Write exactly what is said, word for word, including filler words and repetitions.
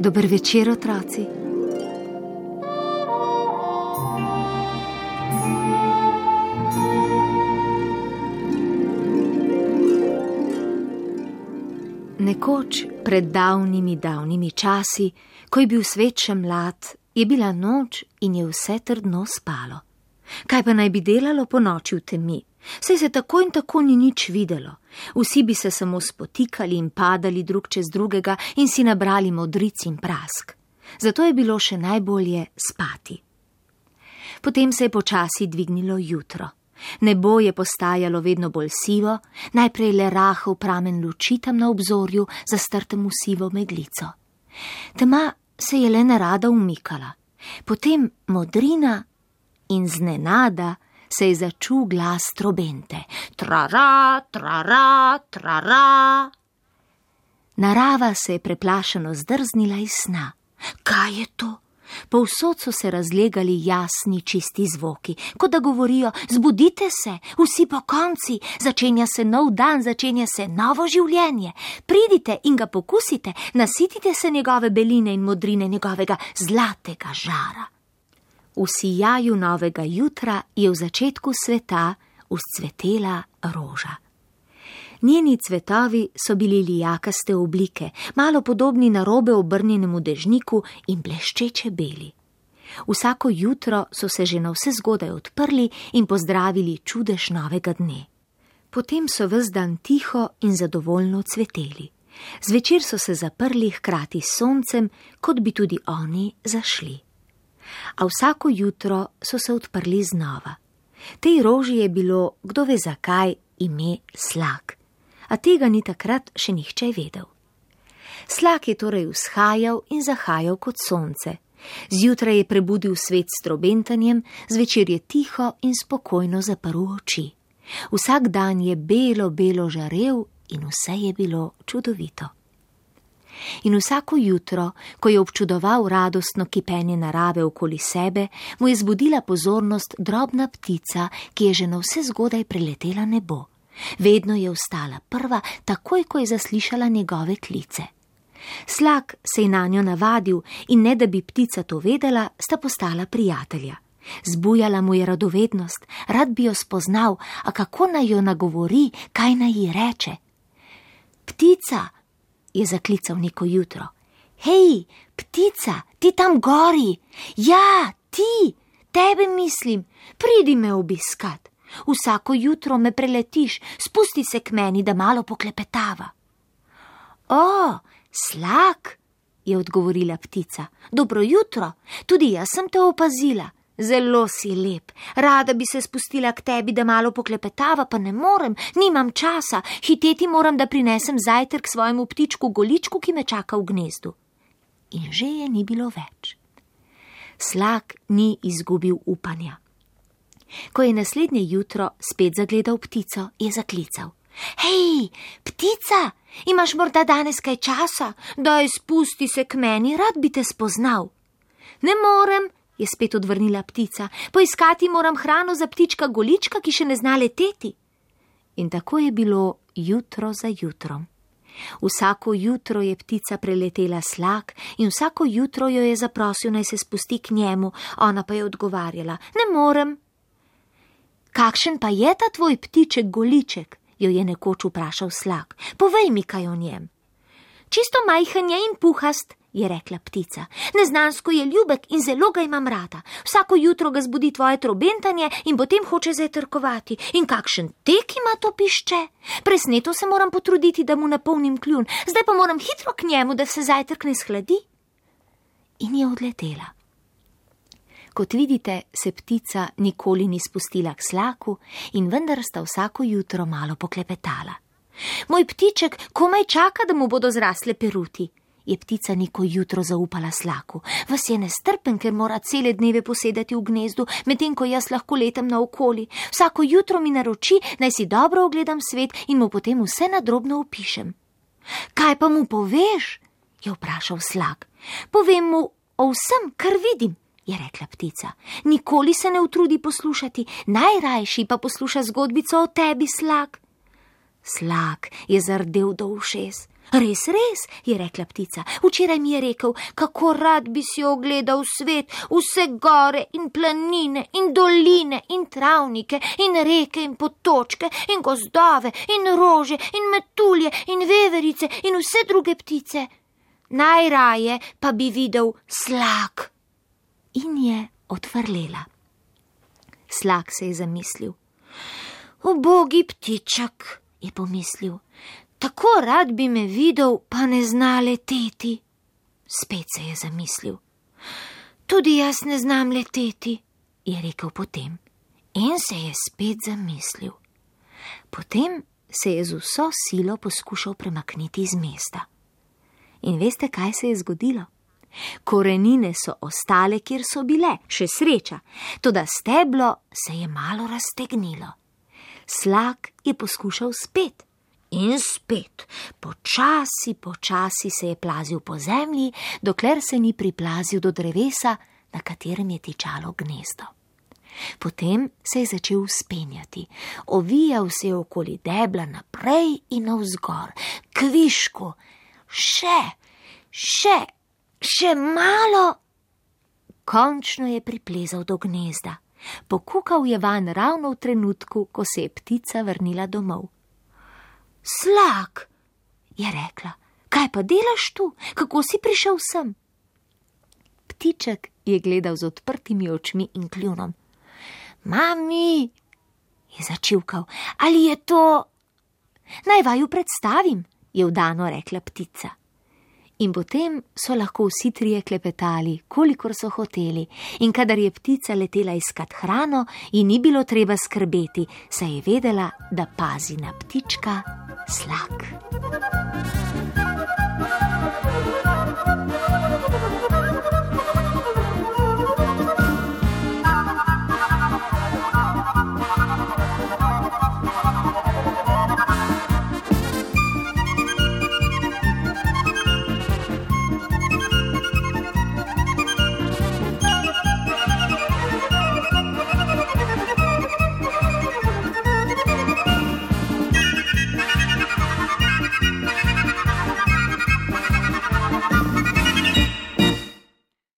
Dober večer, otroci. Nekoč, pred davnimi, davnimi časi, ko je bil svet še mlad, je bila noč in je vse trdno spalo. Kaj pa naj bi delalo po noči v temi? Saj se tako in tako ni nič videlo. Vsi bi se samo spotikali in padali drug čez drugega in si nabrali modric in prask. Zato je bilo še najbolje spati. Potem se je počasi dvignilo jutro. Nebo je postajalo vedno bolj sivo, najprej le rahel pramen luči tam na obzorju, zastrtem v sivo meglico. Tema se je le nerada umikala, potem modrina in znenada se je začul glas trobente. Trara, trara, trara. Narava se je preplašeno zdrznila iz sna. Kaj je to? Povsod so se razlegali jasni, čisti zvoki, kot da govorijo: zbudite se, vsi pokonci, začenja se nov dan, začenja se novo življenje. Pridite in ga pokusite, nasitite se njegove beline in modrine, njegovega zlatega žara. V sijaju novega jutra je v začetku sveta vzcvetela roža. Njeni cvetovi so bili lijakaste oblike, malo podobni narobe obrnjenemu dežniku in bleščeče beli. Vsako jutro so se že navsezgodaj odprli in pozdravili čudež novega dne. Potem so ves dan tiho in zadovoljno cveteli. Zvečer so se zaprli hkrati s soncem, kot bi tudi oni zašli. A vsako jutro so se odprli znova. Tej roži je bilo, kdo ve zakaj, ime Slak. A tega ni takrat še nihče vedel. Slak je torej vzhajal in zahajal kot sonce. Zjutraj je prebudil svet s trobentanjem, zvečer je tiho in spokojno zaprl oči. Vsak dan je belo, belo žarel in vse je bilo čudovito. In vsako jutro, ko je občudoval radostno kipenje narave okoli sebe, mu je zbudila pozornost drobna ptica, ki je že navsezgodaj preletela nebo. Vedno je vstala prva, takoj, ko je zaslišala njegove klice. Slak se je nanjo navadil in ne da bi ptica to vedela, sta postala prijatelja. Zbujala mu je radovednost, rad bi jo spoznal, a kako naj jo nagovori, kaj naj ji reče. Ptica, je zaklical neko jutro. Hej, ptica, ti tam gori! Ja, ti, tebe mislim, pridi me obiskat. Vsako jutro me preletiš, spusti se k meni, da malo poklepetava. O, Slak, je odgovorila ptica. Dobro jutro, tudi jaz sem te opazila. Zelo si lep, rada bi se spustila k tebi, da malo poklepetava, pa ne morem, nimam časa, hiteti moram, da prinesem zajtrk svojemu ptičku Goličku, ki me čaka v gnezdu. In že je ni bilo več. Slak ni izgubil upanja. Ko je naslednje jutro spet zagledal ptico, je zaklical. Hej, ptica, imaš morda danes kaj časa? Daj, spusti se k meni, rad bi te spoznal. Ne morem, je spet odvrnila ptica, poiskati moram hrano za ptička Golička, ki še ne zna leteti. In tako je bilo jutro za jutrom. Vsako jutro je ptica preletela Slak in vsako jutro jo je zaprosil, naj se spusti k njemu, ona pa je odgovarjala, ne morem. Kakšen pa je ta tvoj ptiček Goliček, jo je nekoč vprašal Slak, povej mi kaj o njem. Čisto majhen je in puhast, je rekla ptica. Neznansko je ljubek in zelo ga imam rada. Vsako jutro ga zbudi tvoje trobentanje in potem hoče zajtrkovati. In kakšen tek ima to pišče? Presneto se moram potruditi, da mu napolnim kljun. Zdaj pa moram hitro k njemu, da se zajtrk ne shladi. In je odletela. Kot vidite, se ptica nikoli ni spustila k Slaku in vendar sta vsako jutro malo poklepetala. Moj ptiček komaj čaka, da mu bodo zrasle peruti, je ptica neko jutro zaupala Slaku. Vas je nestrpen, ker mora cele dneve posedati v gnezdu, medtem ko jaz lahko letam naokoli. Vsako jutro mi naroči, naj si dobro ogledam svet in mu potem vse nadrobno opišem. Kaj pa mu poveš? Je vprašal Slak. Povem mu o vsem, kar vidim, je rekla ptica. Nikoli se ne utrudi poslušati, najrajši pa posluša zgodbico o tebi, Slak. Slak je zardel do ušes. Res, res, je rekla ptica. Včeraj mi je rekel, kako rad bi si ogledal svet, vse gore in planine in doline in travnike in reke in potočke in gozdove in rože in metulje in veverice in vse druge ptice. Najraje pa bi videl slak. In je odvrlela. Slak se je zamislil. Ubogi ptiček, je pomislil. Tako rad bi me videl, pa ne zna leteti. Spet se je zamislil. Tudi jaz ne znam leteti, je rekel potem. In se je spet zamislil. Potem se je z vso silo poskušal premakniti iz mesta. In veste, kaj se je zgodilo? Korenine so ostale, kjer so bile, še sreča, toda steblo se je malo raztegnilo. Slak je poskušal spet. In spet, počasi, počasi se je plazil po zemlji, dokler se ni priplazil do drevesa, na katerem je tičalo gnezdo. Potem se je začel vzpenjati, ovijal se je okoli debla naprej in navzgor, kvišku, še, še, še malo. Končno je priplezal do gnezda, pokukal je vanj ravno v trenutku, ko se je ptica vrnila domov. Slak, je rekla, kaj pa delaš tu? Kako si prišel sem? Ptiček je gledal z odprtimi očmi in kljunom. Mami, je začivkal, ali je to... Naj vaju predstavim, je vdano rekla ptica. In potem so lahko vsi trije klepetali, kolikor so hoteli, in kadar je ptica letela iskat hrano, ji ni bilo treba skrbeti, saj je vedela, da pazi na ptička Slak.